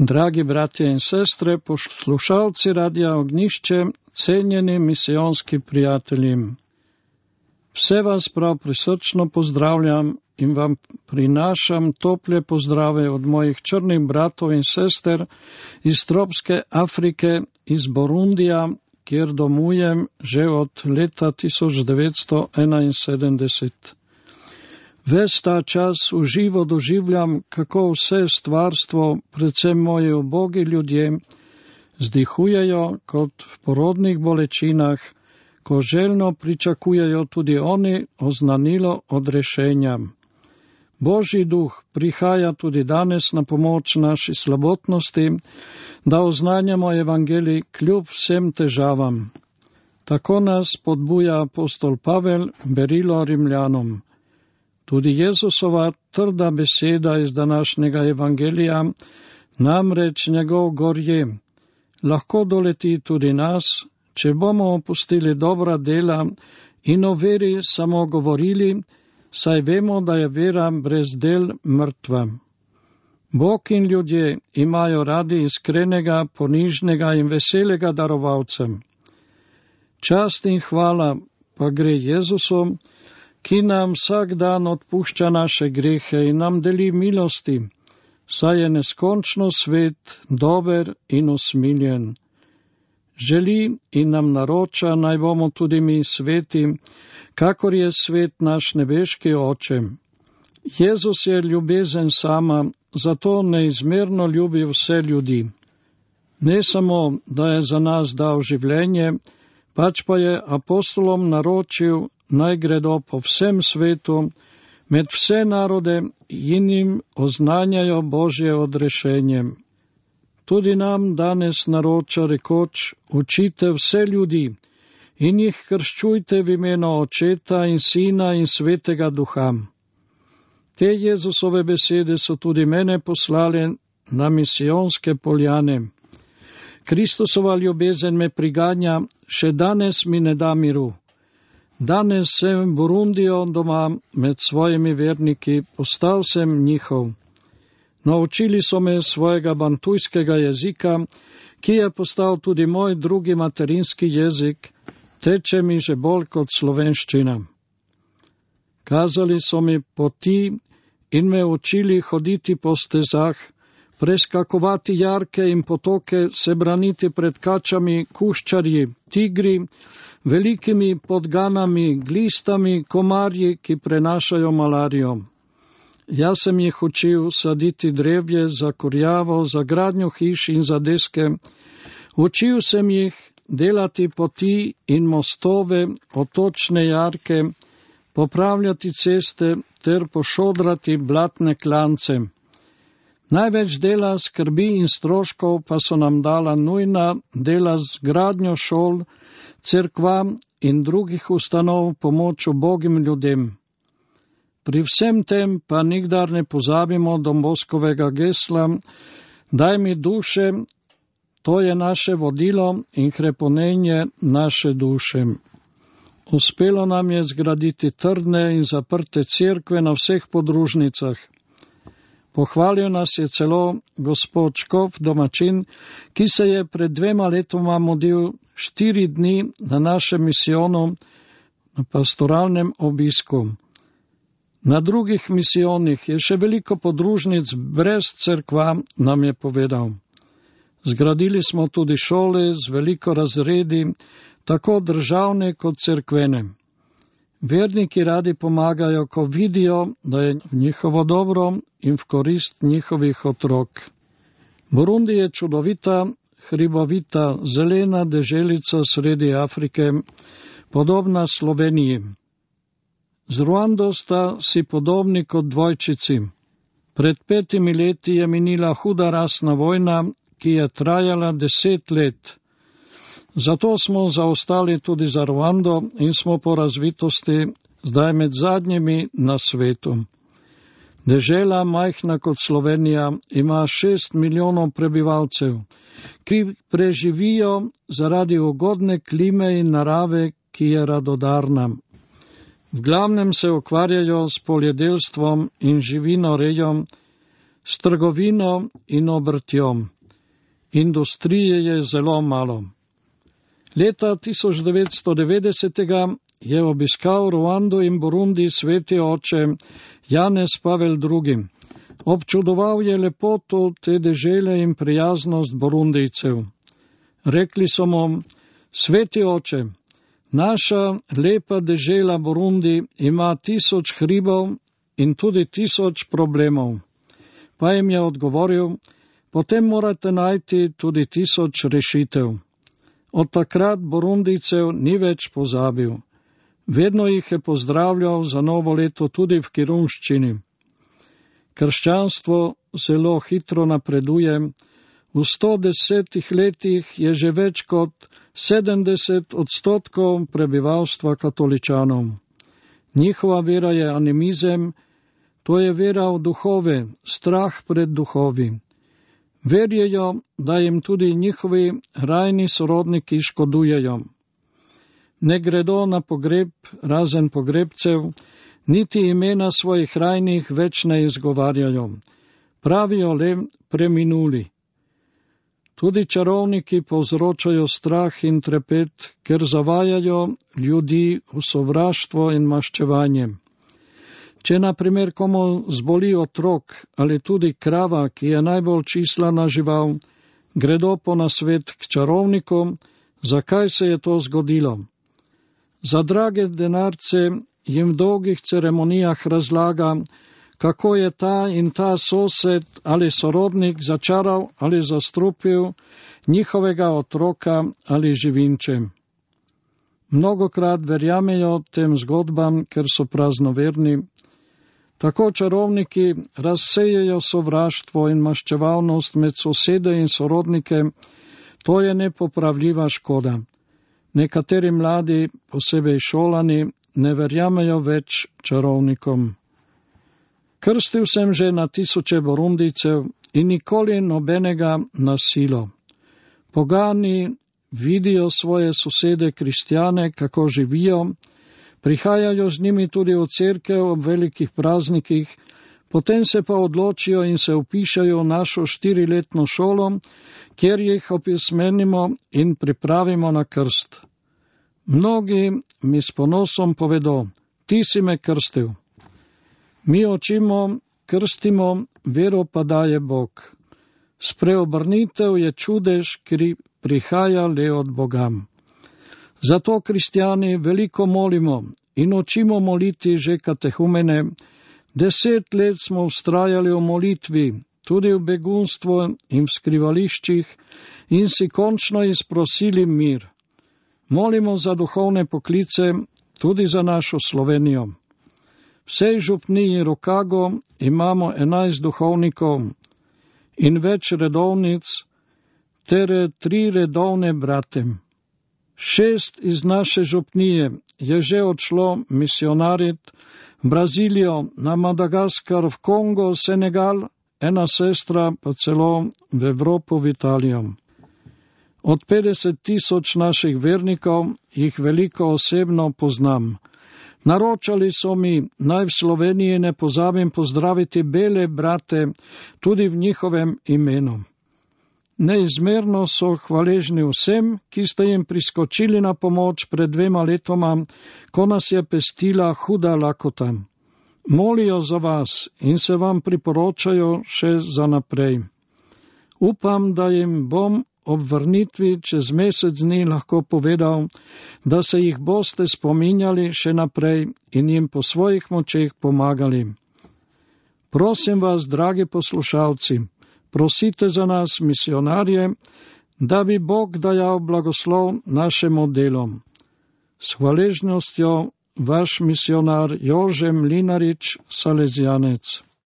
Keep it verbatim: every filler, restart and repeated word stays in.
Dragi bratje in sestre, poslušalci Radia Ognišče, cenjeni misijonski prijatelji. Vse vas prav prisrčno pozdravljam in vam prinašam tople pozdrave od mojih črnih bratov in sester iz tropske Afrike, iz Burundija, kjer domujem že od leta tisoč devetsto enainsedemdeset. Ves ta čas v živo doživljam, kako vse stvarstvo, predvsem moji ubogi ljudje, zdihujejo kot v porodnih bolečinah, ko željno pričakujejo tudi oni oznanilo odrešenja. Božji duh prihaja tudi danes na pomoč naši slabotnosti, da oznanjamo evangelij kljub vsem težavam. Tako nas podbuja apostol Pavel berilo Rimljanom. Tudi Jezusova trda beseda iz današnjega evangelija, namreč njegov gorje, lahko doleti tudi nas, če bomo opustili dobra dela in o veri samo govorili, saj vemo, da je vera brez del mrtva. Bog in ljudje imajo radi iskrenega, ponižnega in veselega darovalca. Čast in hvala pa gre Jezusu, ki nam vsak dan odpušča naše grehe in nam deli milosti, saj je neskončno svet, dober in usmiljen. Želi in nam naroča, naj bomo tudi mi sveti, kakor je svet naš nebeški Oče. Jezus je ljubezen sama, zato neizmerno ljubi vse ljudi. Ne samo, da je za nas dal življenje, pač pa je apostolom naročil, naj gredo po vsem svetu, med vse narode in jim oznanjajo Božje odrešenje. Tudi nam danes naroča rekoč, učite vse ljudi in jih krščujte v imenu Očeta in Sina in Svetega Duha. Te Jezusove besede so tudi mene poslale na misijonske poljane. Kristusova ljubezen me priganja, še danes mi ne da miru. Danes sem v Burundiju doma med svojimi verniki, postal sem njihov. Naučili so me svojega bantujskega jezika, ki je postal tudi moj drugi materinski jezik, teče mi že bolj kot slovenščina. Kazali so mi poti in me učili hoditi po stezah, preskakovati jarke in potoke, se braniti pred kačami, kuščarji, tigri, velikimi podganami, glistami, komarji, ki prenašajo malarijo. Jaz sem jih učil saditi drevje za kurjavo, za gradnjo hiš in za deske. Učil sem jih delati poti in mostove, otočne jarke, popravljati ceste ter pošodrati blatne klance. Največ dela, skrbi in stroškov pa so nam dala nujna dela z gradnjo šol, cerkva in drugih ustanov pomoč ubogim ljudem. Pri vsem tem pa nikdar ne pozabimo Don Boskovega gesla, daj mi duše, to je naše vodilo in hrepenenje naše duše. Uspelo nam je zgraditi trdne in zaprte cerkve na vseh podružnicah. Pohvalil nas je celo gospod Škof, domačin, ki se je pred dvema letoma modil štiri dni na našem misijonu na pastoralnem obisku. Na drugih misijonih je še veliko podružnic brez cerkva, nam je povedal. Zgradili smo tudi šole z veliko razredi, tako državne kot cerkvene. Verniki radi pomagajo, ko vidijo, da je njihovo dobro in v korist njihovih otrok. Burundi je čudovita, hribovita, zelena deželica sredi Afrike, podobna Sloveniji. Z Ruando sta si podobni kot dvojčici. Pred petimi leti je minila huda rasna vojna, ki je trajala deset let. Zato smo zaostali tudi za Ruando in smo po razvitosti zdaj med zadnjimi na svetu. Dežela, majhna kot Slovenija, ima šest milijonov prebivalcev, ki preživijo zaradi ugodne klime in narave, ki je radodarna. V glavnem se ukvarjajo s poljedelstvom in živinorejom, s trgovino in obrtjo. Industrije je zelo malo. Leta tisoč devetsto devetdeset je obiskal Ruando in Burundi sveti oče Janez Pavel drugi. Občudoval je lepoto te dežele in prijaznost Burundijcev. Rekli so mu: sveti oče, naša lepa dežela Burundi ima tisoč hribov in tudi tisoč problemov. Pa jim je odgovoril: potem morate najti tudi tisoč rešitev. Od takrat Burundijcev ni več pozabil. Vedno jih je pozdravljal za novo leto tudi v kirunščini. Krščanstvo zelo hitro napreduje. V sto desetih letih je že več kot sedemdeset odstotkov prebivalstva katoličanov. Njihova vera je animizem, to je vera v duhove, strah pred duhovi. Verjejo, da jim tudi njihovi rajni sorodniki škodujejo. Ne gredo na pogreb, razen pogrebcev, niti imena svojih rajnih več ne izgovarjajo. Pravijo le preminuli. Tudi čarovniki povzročajo strah in trepet, ker zavajajo ljudi v sovraštvo in maščevanje. Če na primer komu zboli otrok ali tudi krava, ki je najbolj čislana žival, gredo po nasvet k čarovniku, zakaj se je to zgodilo. Za drage denarce jim v dolgih ceremonijah razlaga, kako je ta in ta sosed ali sorodnik začaral ali zastrupil njihovega otroka ali živinče. Mnogokrat verjamejo tem zgodbam, ker so praznoverni. Tako čarovniki razsejejo sovraštvo in maščevalnost med sosede in sorodnike, to je nepopravljiva škoda. Nekateri mladi, posebej šolani, ne verjamejo več čarovnikom. Krstil sem že na tisoče Burundijcev in nikoli nobenega na silo. Pogani vidijo svoje sosede kristjane, kako živijo, prihajajo z njimi tudi v cerkev ob velikih praznikih, potem se pa odločijo in se vpišajo v našo štiriletno šolo, kjer jih opismenimo in pripravimo na krst. Mnogi mi s ponosom povedo: ti si me krstil. Mi očimo, krstimo, vero pa daje Bog. Spreobrnitev je čudež, ki prihaja le od Boga. Zato kristjani veliko molimo in učimo moliti že katehumene. Deset let smo vztrajali v molitvi, tudi v begunstvu in v skrivališčih, in si končno izprosili mir. Molimo za duhovne poklice, tudi za našo Slovenijo. V vsej župniji Rokago imamo enajst duhovnikov in več redovnic, ter tri redovne brate. Šest iz naše župnije je že odšlo misionarit v Brazilijo, na Madagaskar, v Kongo, Senegal, ena sestra pa celo v Evropo, v Italijo. Od petdeset tisoč naših vernikov jih veliko osebno poznam. Naročali so mi, naj v Sloveniji ne pozabim pozdraviti bele brate tudi v njihovem imenu. Neizmerno so hvaležni vsem, ki ste jim priskočili na pomoč pred dvema letoma, ko nas je pestila huda lakota. Molijo za vas in se vam priporočajo še za naprej. Upam, da jim bom ob vrnitvi čez mesec dni lahko povedal, da se jih boste spominjali še naprej in jim po svojih močeh pomagali. Prosim vas, dragi poslušalci, prosite za nas, misionarje, da bi Bog dajal blagoslov našemu delu. S hvaležnostjo vaš misionar Jože Mlinarič, Salezijanec.